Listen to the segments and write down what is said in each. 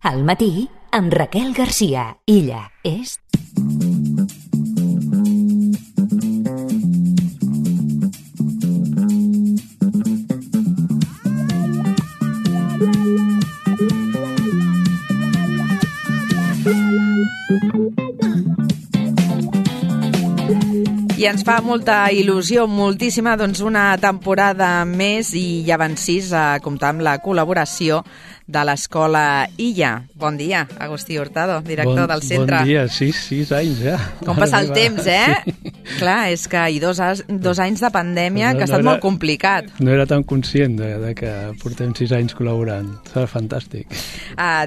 Al matí, amb Raquel Garcia. Ella és... I ens fa molta il·lusió, moltíssima, doncs una temporada més i ja van 6 a comptar amb la col·laboració de l'Escola Illa. Bon dia, Agustí Hurtado, director del centre. Bon dia, 6 anys ja. Com passa el temps, eh? Sí. Clar, és que i dos anys de pandèmia, que ha estat molt complicat. No era tan conscient de que portem 6 anys col·laborant. Serà fantàstic.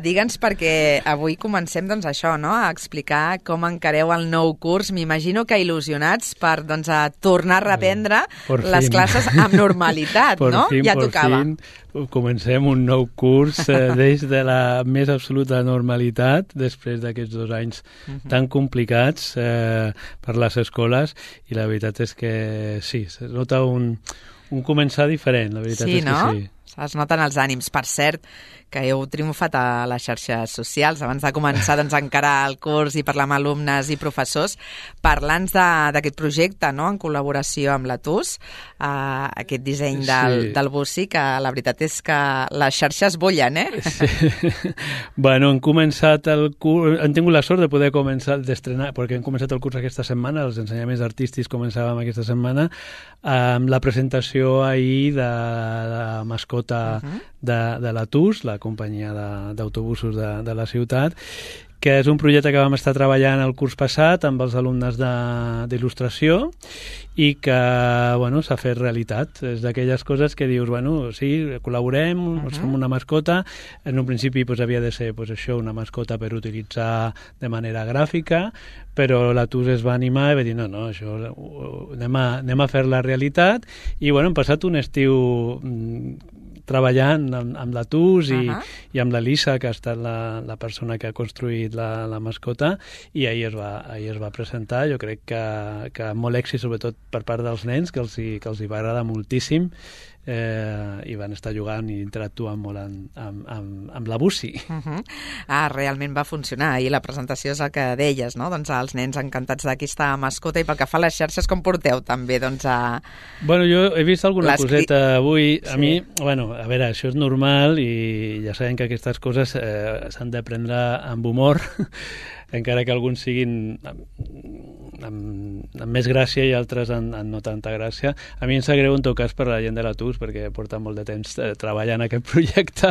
Digue'ns, perquè avui comencem doncs això, no? A explicar com encareu el nou curs. M'imagino que il·lusionats per doncs, a tornar a reprendre les classes amb normalitat, no? Ja tocava. Comencem un nou curs des de la més absoluta normalitat, després d'aquests 2 anys tan complicats per les escoles, i la veritat és que sí, es nota un començar diferent, la veritat és que sí. Es noten els ànims. Per cert, que heu triomfat a les xarxes socials abans de començar doncs, a encarar el curs i parlar amb alumnes i professors, parlant d'aquest projecte, no?, en col·laboració amb la TUS, aquest disseny del bussi, que la veritat és que les xarxes bullen, eh? Sí. Bueno, hem començat el curs, hem tingut la sort de poder començar d'estrenar, perquè hem començat el curs aquesta setmana, els ensenyaments artístics començàvem aquesta setmana, amb la presentació ahir de la mascota de la TUS, la companyia d'autobusos de la ciutat, que és un projecte que vam estar treballant el curs passat amb els alumnes d'il·lustració i que bueno, s'ha fet realitat. És d'aquelles coses que dius, bueno, sí, col·laborem, fem una mascota. En un principi havia de ser això, una mascota per utilitzar de manera gràfica, però la TUS es va animar i va dir, no, això anem a fer la realitat, i bueno, hem passat un estiu treballant amb la TUS i amb l'Elisa, que ha estat la persona que ha construït la mascota, i ahir es va presentar. Jo crec que amb molt èxit, sobretot per part dels nens, que els hi va agradar moltíssim, i van estar jugant i interactuant molt amb la bussi. Realment va funcionar, i la presentació és el que deies, no? Doncs els nens encantats d'aquesta mascota. I pel que fa a les xarxes, com porteu també doncs, Bueno, jo he vist alguna coseta avui. A mi, bueno, a veure, això és normal i ja sabem que aquestes coses s'han de prendre amb humor, encara que alguns siguin amb més gràcia i altres amb no tanta gràcia. A mi em sap greu en tot cas per la gent de la TUS, perquè porta molt de temps treballant aquest projecte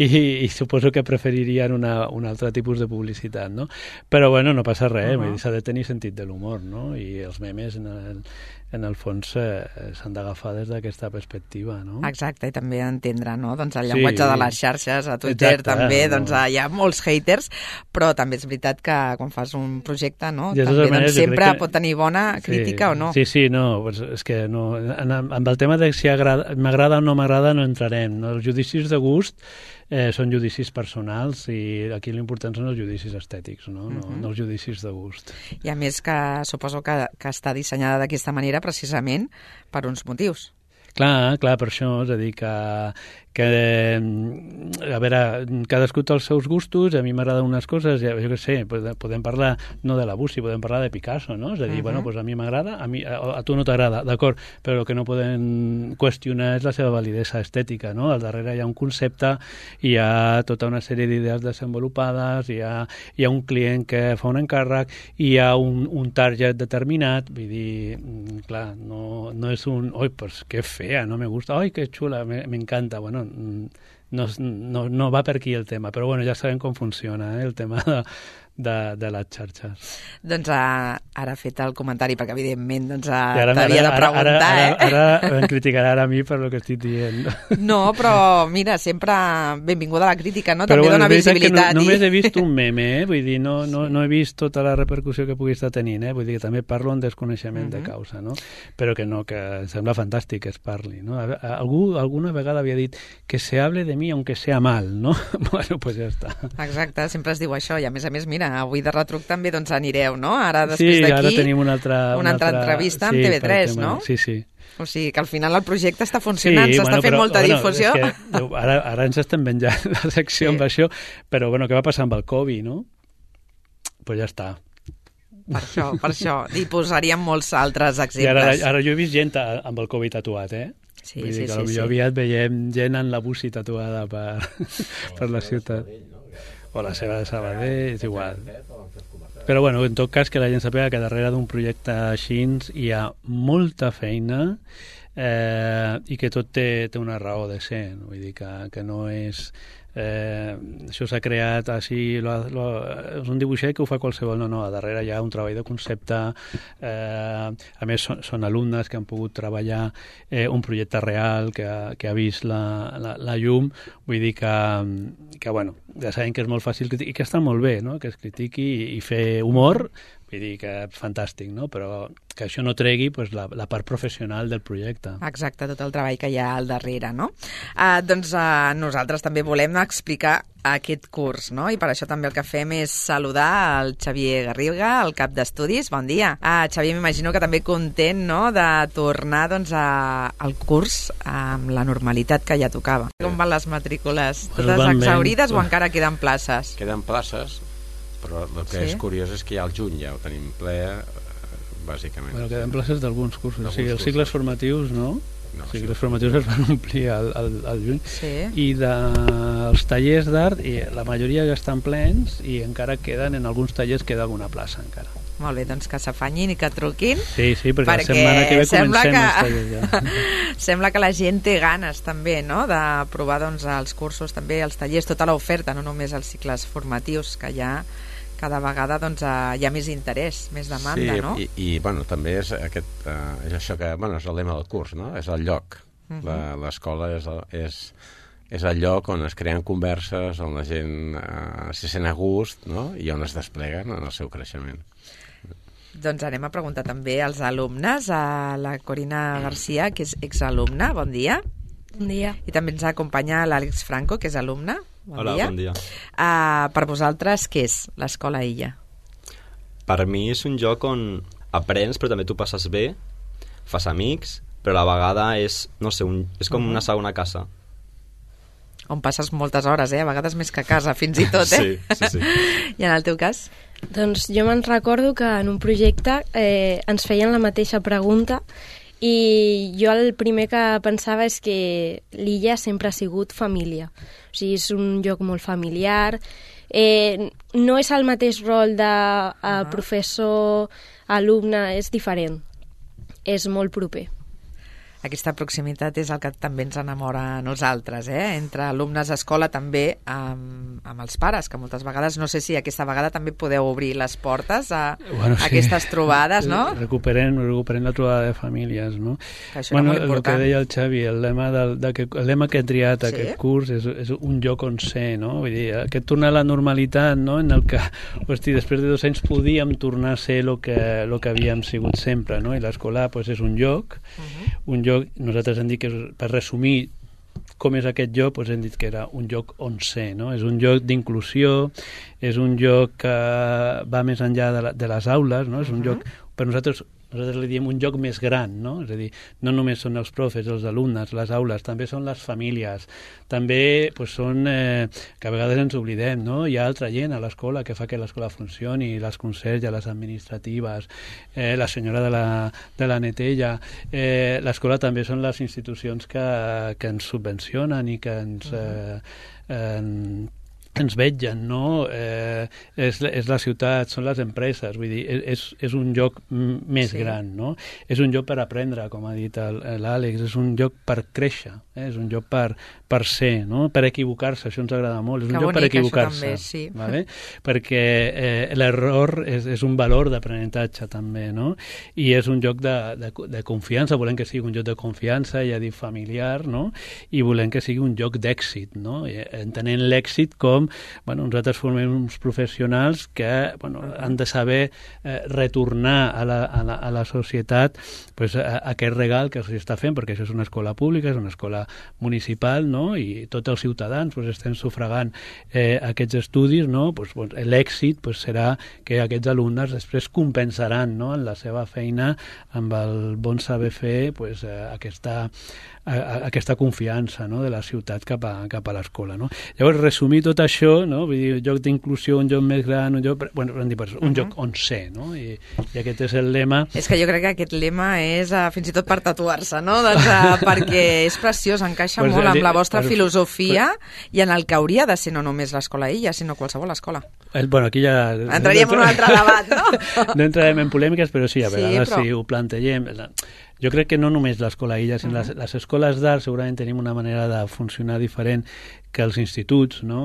i suposo que preferirien un altre tipus de publicitat, no? Però bueno, no passa res, s'ha de tenir sentit de l'humor, no? I els memes en el fons s'han d'agafar des d'aquesta perspectiva, no? Exacte, i també entendre, no?, doncs el llenguatge de les xarxes, a Twitter també, doncs hi ha molts haters, però també és veritat que quan fas un projecte, no?, també doncs, sempre pot tenir bona crítica o no. Sí, no, és que no, amb el tema de si m'agrada o no m'agrada no entrarem, no? Els judicis de gust són judicis personals i aquí l'important són els judicis estètics, no els judicis de gust. I a més que suposo que està dissenyada d'aquesta manera precisament per uns motius. Clar, per això, és a dir, que a veure, cadascú té els seus gustos, a mi m'agraden unes coses, jo què sé, podem parlar no de la bussi, podem parlar de Picasso, no? És a dir, bueno, doncs a mi m'agrada, a tu no t'agrada, d'acord, però el que no podem qüestionar és la seva validesa estètica, no? Al darrere hi ha un concepte, hi ha tota una sèrie d'idees desenvolupades, hi ha un client que fa un encàrrec, hi ha un target determinat, vull dir, clar, no és un, oi, pues que fea, no me gusta, oi, que xula, me encanta, bueno, no va per aquí el tema, però bueno, ja sabem com funciona el tema de les xarxes. Doncs ara ha fet el comentari, perquè evidentment doncs, t'havia de preguntar. Ara em criticarà a mi per el que estic dient. No, però mira, sempre benvinguda la crítica, no? També dona visibilitat. Només he vist un meme, vull dir, no he vist tota la repercussió que pugui estar tenint, vull dir que també parlo en desconeixement de causa, no? Però que em sembla fantàstic que es parli, no? Algú alguna vegada havia dit que se hable de mi aunque sea mal, no? Bueno, pues ja està. Exacte, sempre es diu això, i a més, mira, mira, avui de retruc també doncs anireu, no? Ara, després sí, d'aquí, ara tenim una altra entrevista amb TV3, no? Sí, sí. O sigui que al final el projecte està funcionant, s'està fent molta difusió. És que, ara ens estem venjant la secció amb això, però bueno, què va passar amb el Covid, no? Pues ja està. Per això. I posaríem molts altres exemples. I ara jo he vist gent amb el Covid tatuat, Sí, vull dir que sí. aviat veiem gent en la busi tatuada per la ciutat. O la seva de Sabadell, és igual. Però bueno, en tot cas que la gent sàpiga que darrere d'un projecte així hi ha molta feina i que tot té una raó de ser. Vull dir que no és... això s'ha creat així, és un dibuixet que ho fa qualsevol, no, a darrere hi ha un treball de concepte, a més són alumnes que han pogut treballar un projecte real que ha vist la llum, vull dir que bueno, ja sabem que és molt fàcil i que està molt bé, no?, que es critiqui i fer humor, vull dir que és fantàstic, no?, però que això no tregui pues, la part professional del projecte. Exacte, tot el treball que hi ha al darrere, no? Doncs nosaltres també volem explicar aquest curs, no? I per això també el que fem és saludar el Xavier Garriga, el cap d'estudis. Bon dia. Xavier, m'imagino que també content, no?, de tornar doncs, al curs amb la normalitat que ja tocava. Com van les matrícules? Totes exhaurides o encara queden places? Queden places, però el que és curiós és que ja al juny ja ho tenim ple, bàsicament. Bueno, queden places d'alguns cursos. O sigui, els cicles formatius, no? Els cicles formatius es van omplir al juny. Sí. I dels tallers d'art, la majoria ja estan plens i encara queden, en alguns tallers queda alguna plaça encara. Molt bé, doncs que s'afanyin i que truquin. Sí, perquè la setmana que ve comencem els tallers ja. Sembla que la gent té ganes també, no?, de provar doncs, els cursos, també els tallers, tota l'oferta, no només els cicles formatius, que ja cada vegada doncs, hi ha més interès, més demanda, no? I bueno, també és això que, bueno, és el lema del curs, no? És el lloc. L'escola és el lloc on es creen converses, on la gent se sent a gust, no?, i on es despleguen en el seu creixement. Doncs anem a preguntar també als alumnes, a la Corina Garcia, que és exalumna. Bon dia. Bon dia. I també ens acompanya l'Àlex Franco, que és alumne. Hola, bon dia. Per vosaltres, què és l'Escola Illa? Per mi és un lloc on aprens, però també tu passes bé, fas amics, però a la vegada és, no sé, és com una segona casa. On passes moltes hores, a vegades més que a casa, fins i tot, Sí. I en el teu cas? Doncs jo me'n recordo que en un projecte ens feien la mateixa pregunta i jo el primer que pensava és que l'Illa sempre ha sigut família. O sigui, és un lloc molt familiar. No és el mateix rol de professor, alumne, és diferent. És molt proper. Aquesta proximitat és el que també ens enamora a nosaltres, entre alumnes d'escola, també amb els pares, que moltes vegades, no sé si aquesta vegada també podeu obrir les portes a aquestes trobades, no? Recuperem la trobada de famílies, no? Que això era molt important. El que deia el Xavi, el lema que he triat aquest curs és un lloc on ser, no? Vull dir, aquest tornar a la normalitat, no?, en el que, hosti, després de 2 anys podíem tornar a ser el que havíem sigut sempre, no? I l'escola és un lloc, nosaltres hem dit que, per resumir com és aquest lloc, hem dit que era un lloc on ser, no? És un lloc d'inclusió, és un lloc que va més enllà de les aules, no? És un lloc, per nosaltres li diem un lloc més gran, no? És a dir, no només són els profes, els alumnes, les aules, també són les famílies, també són, que a vegades ens oblidem, no? Hi ha altra gent a l'escola que fa que l'escola funcioni, les conserges, les administratives, la senyora de la netella, l'escola també són les institucions que ens subvencionen i que ens vetgen, no? És la ciutat, són les empreses, vull dir, és un lloc més gran, no? És un lloc per aprendre, com ha dit l'Àlex, és un lloc per créixer, és un lloc per ser, no? Per equivocar-se, això ens agrada molt, és un lloc per equivocar-se, vale? Perquè l'error és un valor d'aprenentatge també, no? I és un lloc de confiança, volem que sigui un lloc de confiança, ja dic familiar, no? I volem que sigui un lloc d'èxit, no? Entenent l'èxit com com nosaltres formem uns professionals que han de saber retornar a la societat aquest regal que s'hi està fent, perquè això és una escola pública, és una escola municipal, no? I tots els ciutadans estem sufragant aquests estudis, no? L'èxit serà que aquests alumnes després compensaran, no? En la seva feina amb el bon saber fer aquesta confiança, no? De la ciutat cap a l'escola, no? Llavors, resumir tot això, no? Vull dir, joc d'inclusió, un joc més gran, un joc on ser, no? I aquest és el lema. És que jo crec que aquest lema és fins i tot per tatuar-se, no? Perquè és preciós, encaixa molt amb la vostra filosofia i en el que hauria de ser no només l'escola Illa, sinó qualsevol escola. Aquí ja... Entraríem en un altre debat, no? No entrarem en polèmiques, però sí, a vegades si ho plantegem... Jo crec que no només l'escola Illa, sinó les escoles d'art segurament tenim una manera de funcionar diferent que els instituts, no?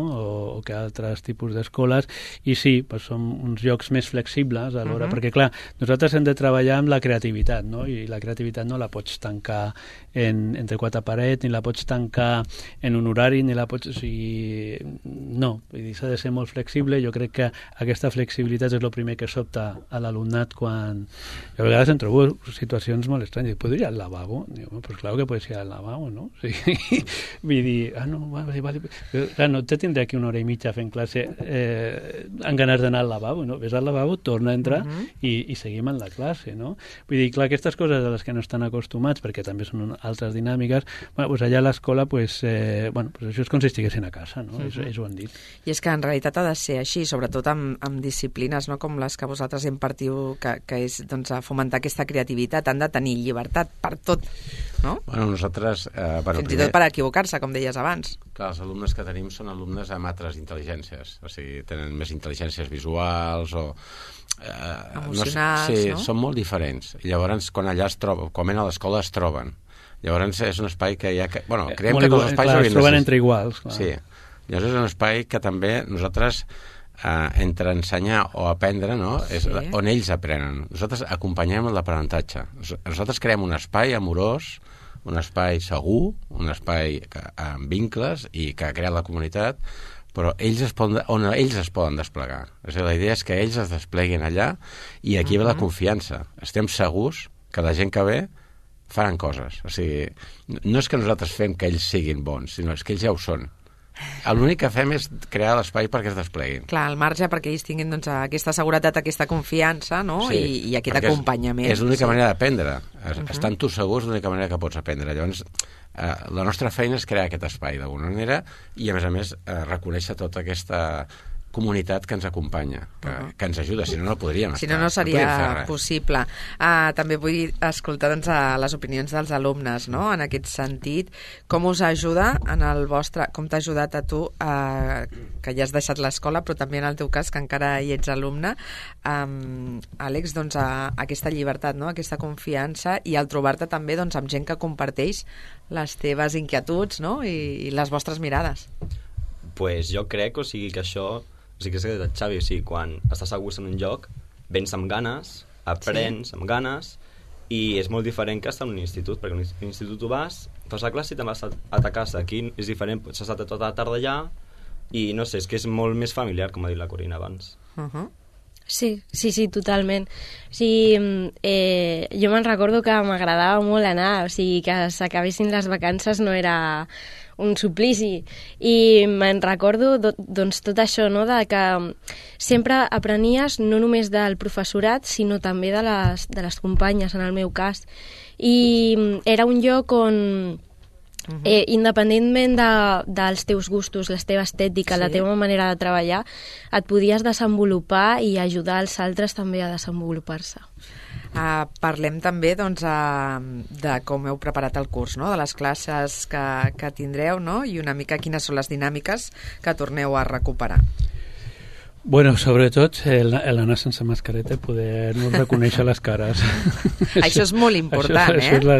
O que altres tipus d'escoles, i sí, són uns llocs més flexibles a l'hora, perquè clar, nosaltres hem de treballar amb la creativitat, no? I la creativitat no la pots tancar entre quatre parets, ni la pots tancar en un horari, ni la pots... O sigui, no, s'ha de ser molt flexible. Jo crec que aquesta flexibilitat és el primer que sobta a l'alumnat quan... Jo a vegades em trobo situacions molt estranyes. ¿Puedo ir al lavabo? Digo, pues claro que puedes ir al lavabo, ¿no? Sí. Vull dir, no, vale. Clar, no te tindré aquí una hora i mitja fent classe amb ganes d'anar al lavabo, no? Ves al lavabo, torna a entrar i seguim en la classe, no? Vull dir, clar, aquestes coses a les que no estan acostumats, perquè també són altres dinàmiques, allà a l'escola, això és com si estiguessin a casa, no? Ells ho han dit. I és que en realitat ha de ser així, sobretot amb disciplines, no? Com les que vosaltres impartiu, que és fomentar aquesta creativitat, han de tenir llibertat per tot, no? Nosaltres... Fins i tot per equivocar-se, com deies abans. Clar, els alumnes que tenim són alumnes amb altres intel·ligències, o sigui, tenen més intel·ligències visuals o... emocionals, no? no? Són molt diferents. Llavors, quan allà es troben, quan a l'escola es troben. Llavors, és un espai que hi ha... creiem que tots els espais... Clar, es troben entre iguals. Clar. Sí. Llavors, és un espai que també nosaltres... entre ensenyar o aprendre, no? És on ells aprenen. Nosaltres acompanyem l'aprenentatge. Nosaltres creem un espai amorós, un espai segur, un espai amb vincles i que crea la comunitat, però on ells es poden desplegar. És a dir, la idea és que ells es despleguin allà i aquí ve la confiança. Estem segurs que la gent que ve faran coses. O sigui, no és que nosaltres fem que ells siguin bons, sinó és que ells ja ho són. L'únic que fem és crear l'espai perquè es despleguin. Clar, al marge perquè ells tinguin aquesta seguretat, aquesta confiança, no? Sí, i aquest acompanyament. És l'única manera d'aprendre. Estant tu segurs, l'única manera que pots aprendre. Llavors, la nostra feina és crear aquest espai d'alguna manera i, a més, reconèixer tota aquesta comunitat que ens acompanya, que ens ajuda, si no, no podríem estar. Si no, no seria possible. També vull escoltar les opinions dels alumnes, no? En aquest sentit, com us ajuda com t'ha ajudat a tu, que ja has deixat l'escola, però també en el teu cas, que encara hi ets alumne, Àlex, aquesta llibertat, no? Aquesta confiança i el trobar-te també amb gent que comparteix les teves inquietuds, no? I les vostres mirades. Pues jo crec, que això... O sigui, que és el Xavi, quan estàs a gust en un lloc, vens amb ganes, aprens amb ganes, i és molt diferent que estar en un institut, perquè en un institut tu vas, fas la classe i te'n vas a ta casa. Aquí és diferent, pots estar tota la tarda allà, i no sé, és que és molt més familiar, com ha dit la Corina abans. Sí, totalment. O sigui, jo me'n recordo que m'agradava molt anar, o sigui, que s'acabessin les vacances no era un suplici, i me'n recordo tot això, no? De que sempre aprenies no només del professorat, sinó també de les companyes, en el meu cas, i era un lloc on independentment dels teus gustos, la teva estètica, la teva manera de treballar, et podies desenvolupar i ajudar els altres també a desenvolupar-se. Parlem també de com heu preparat el curs, no? De les classes que tindreu, no? I una mica quines són les dinàmiques que torneu a recuperar. Bueno, sobretot l'anar sense mascareta i poder-nos reconèixer les cares. Això és molt important, això és la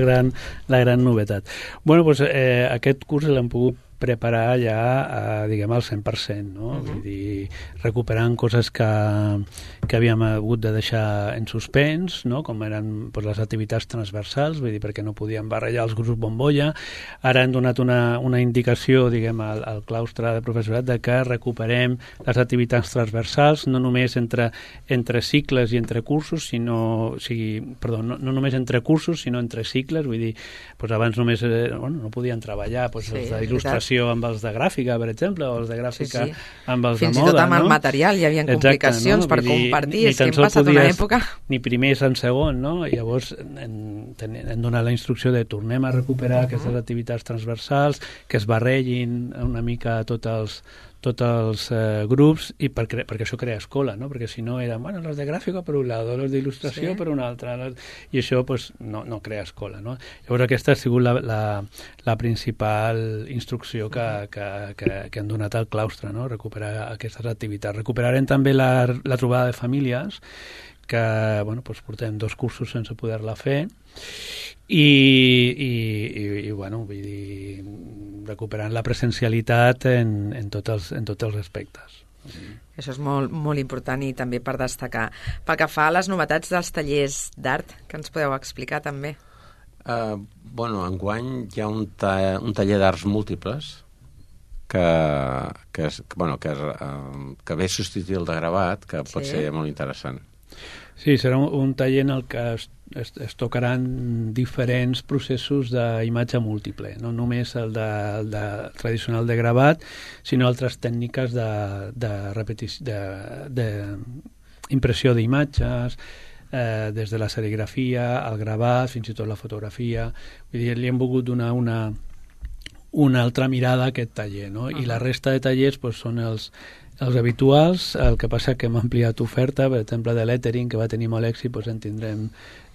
gran novetat. Bueno, doncs aquest curs l'hem pogut preparar ja, diguem, al 100%, no? Vull dir, recuperant coses que havíem hagut de deixar en suspens, no? Com eren pues, les activitats transversals, vull dir, perquè no podíem barrejar els grups bombolla. Ara hem donat una indicació, diguem, al claustre de professorat de que recuperem les activitats transversals, no només entre cicles i entre cursos, no només entre cursos, sinó entre cicles, vull dir, pues abans només no podien treballar pues, els d'il·lustració amb els de gràfica, per exemple, o els de gràfica amb els fins de moda. Fins i tot amb el material hi havia complicacions per compartir, és que hem passat una època... Ni primers en segon, no? I llavors hem donat la instrucció de tornem a recuperar aquestes activitats transversals, que es barregin una mica tots els grups, i perquè això crea escola, no? Perquè si no eren, los de gràfica per un lado, los d'il·lustració per un altre, i això pues, no crea escola, no? Llavors aquesta ha sigut la principal instrucció que han donat al claustre, no? Recuperar aquestes activitats. Recuperarem també la trobada de famílies, que pues, portem 2 cursos sense poder-la fer, i vull dir, recuperant la presencialitat en tots els aspectes. Això és molt, molt important i també per destacar. Pel que fa a les novetats dels tallers d'art, que ens podeu explicar també? Enguany hi ha un taller d'arts múltiples que ve substituir el de gravat, que pot ser molt interessant. Sí, serà un taller en el que es tocaran diferents processos d'imatge múltiple, no només el tradicional de gravat, sinó altres tècniques d'impressió d'imatges, des de la serigrafia, el gravat, fins i tot la fotografia. Vull dir, li hem volgut donar una altra mirada a aquest taller, no? I la resta de tallers pues, són els habituals. El que passa que hem ampliat oferta, per exemple, de lettering, que va tenir molt èxit, doncs en tindrem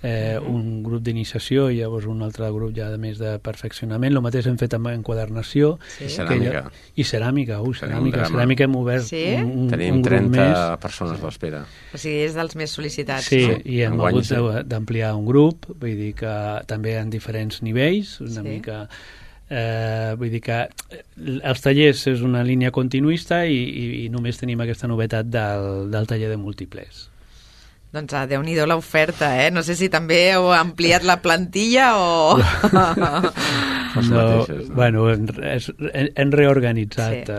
un grup d'iniciació i llavors un altre grup ja més de perfeccionament. El mateix hem fet amb enquadernació. I ceràmica. I ceràmica. Ceràmica hem obert Tenim 30 persones a l'espera. O sigui, és dels més sol·licitats. Sí, i hem hagut d'ampliar un grup, vull dir que també en diferents nivells, una mica... vull dir que els tallers és una línia continuista i només tenim aquesta novetat del taller de múltiples. Doncs Déu-n'hi-do l'oferta, eh? No sé si també heu ampliat la plantilla o... Hem reorganitzat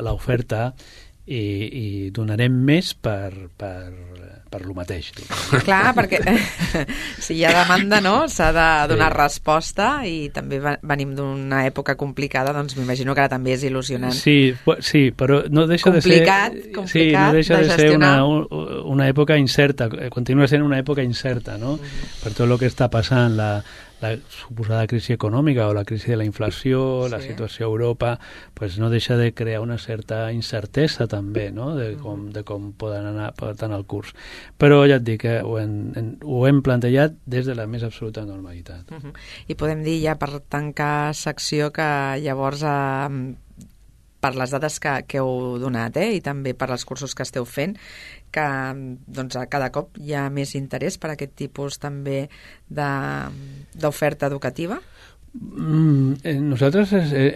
l'oferta i donarem més per lo mateix. Clar, perquè si hi ha demanda, no? S'ha de donar resposta i també venim d'una època complicada, doncs m'imagino que ara també és il·lusionant. Sí, però no deixa de ser... Complicat no deixa de ser gestionar. una època incerta, continua sent una època incerta, no? Per tot el que està passant, la suposada crisi econòmica o la crisi de la inflació, la situació a Europa, pues no deixa de crear una certa incertesa també, no? de com poden anar portant el curs. Però ja et dic que ho hem plantejat des de la més absoluta normalitat. I podem dir ja per tancar secció que llavors per les dades que heu donat i també per als cursos que esteu fent, que doncs, cada cop hi ha més interès per aquest tipus també d'oferta educativa? Nosaltres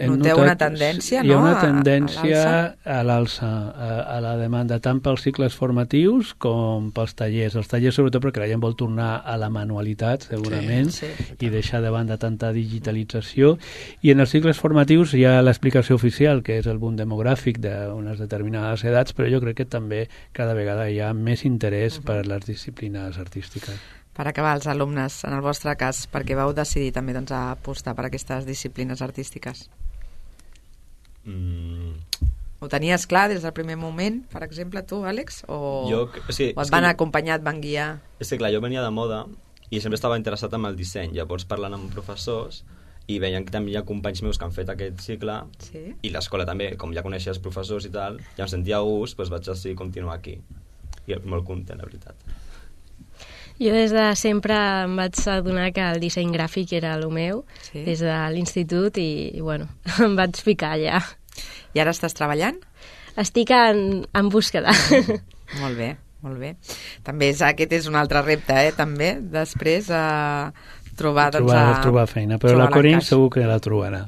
noteu una tendència, no? Hi ha una tendència a l'alça, a la demanda, tant pels cicles formatius com pels tallers. Els tallers, sobretot, perquè la gent vol tornar a la manualitat, segurament, i deixar de banda tanta digitalització. I en els cicles formatius hi ha l'explicació oficial, que és el boom demogràfic d'unes determinades edats, però jo crec que també cada vegada hi ha més interès per les disciplines artístiques. Per acabar, els alumnes, en el vostre cas, per què vau decidir també doncs, apostar per aquestes disciplines artístiques? Ho tenies clar des del primer moment, per exemple, tu, Àlex? O et van acompanyar, et van guiar? És que clar, jo venia de moda i sempre estava interessat en el disseny. Llavors, parlant amb professors, i veien que també hi ha companys meus que han fet aquest cicle, i l'escola també, com ja coneixia els professors i tal, ja em sentia a gust, doncs vaig decidir continuar aquí. I molt content, la veritat. Jo des de sempre em vaig adonar que el disseny gràfic era el meu, des de l'institut, i bueno, em vaig ficar allà. I ara estàs treballant? Estic en búsqueda. Molt bé, molt bé. També aquest és un altre repte, també, després trobar feina, però la Corinne segur que la trobarà.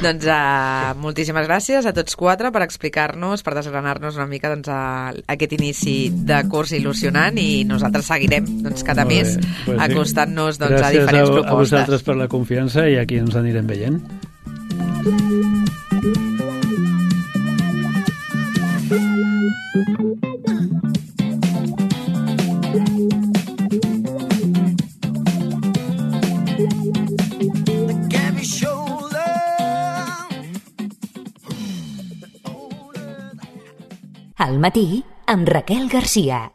Doncs moltíssimes gràcies a tots quatre per explicar-nos, per desgranar-nos una mica aquest inici de curs il·lusionant, i nosaltres seguirem cada mes acostant-nos a diferents propostes. Gràcies a vosaltres per la confiança, i aquí ens anirem veient. Al matí, amb Raquel Garcia.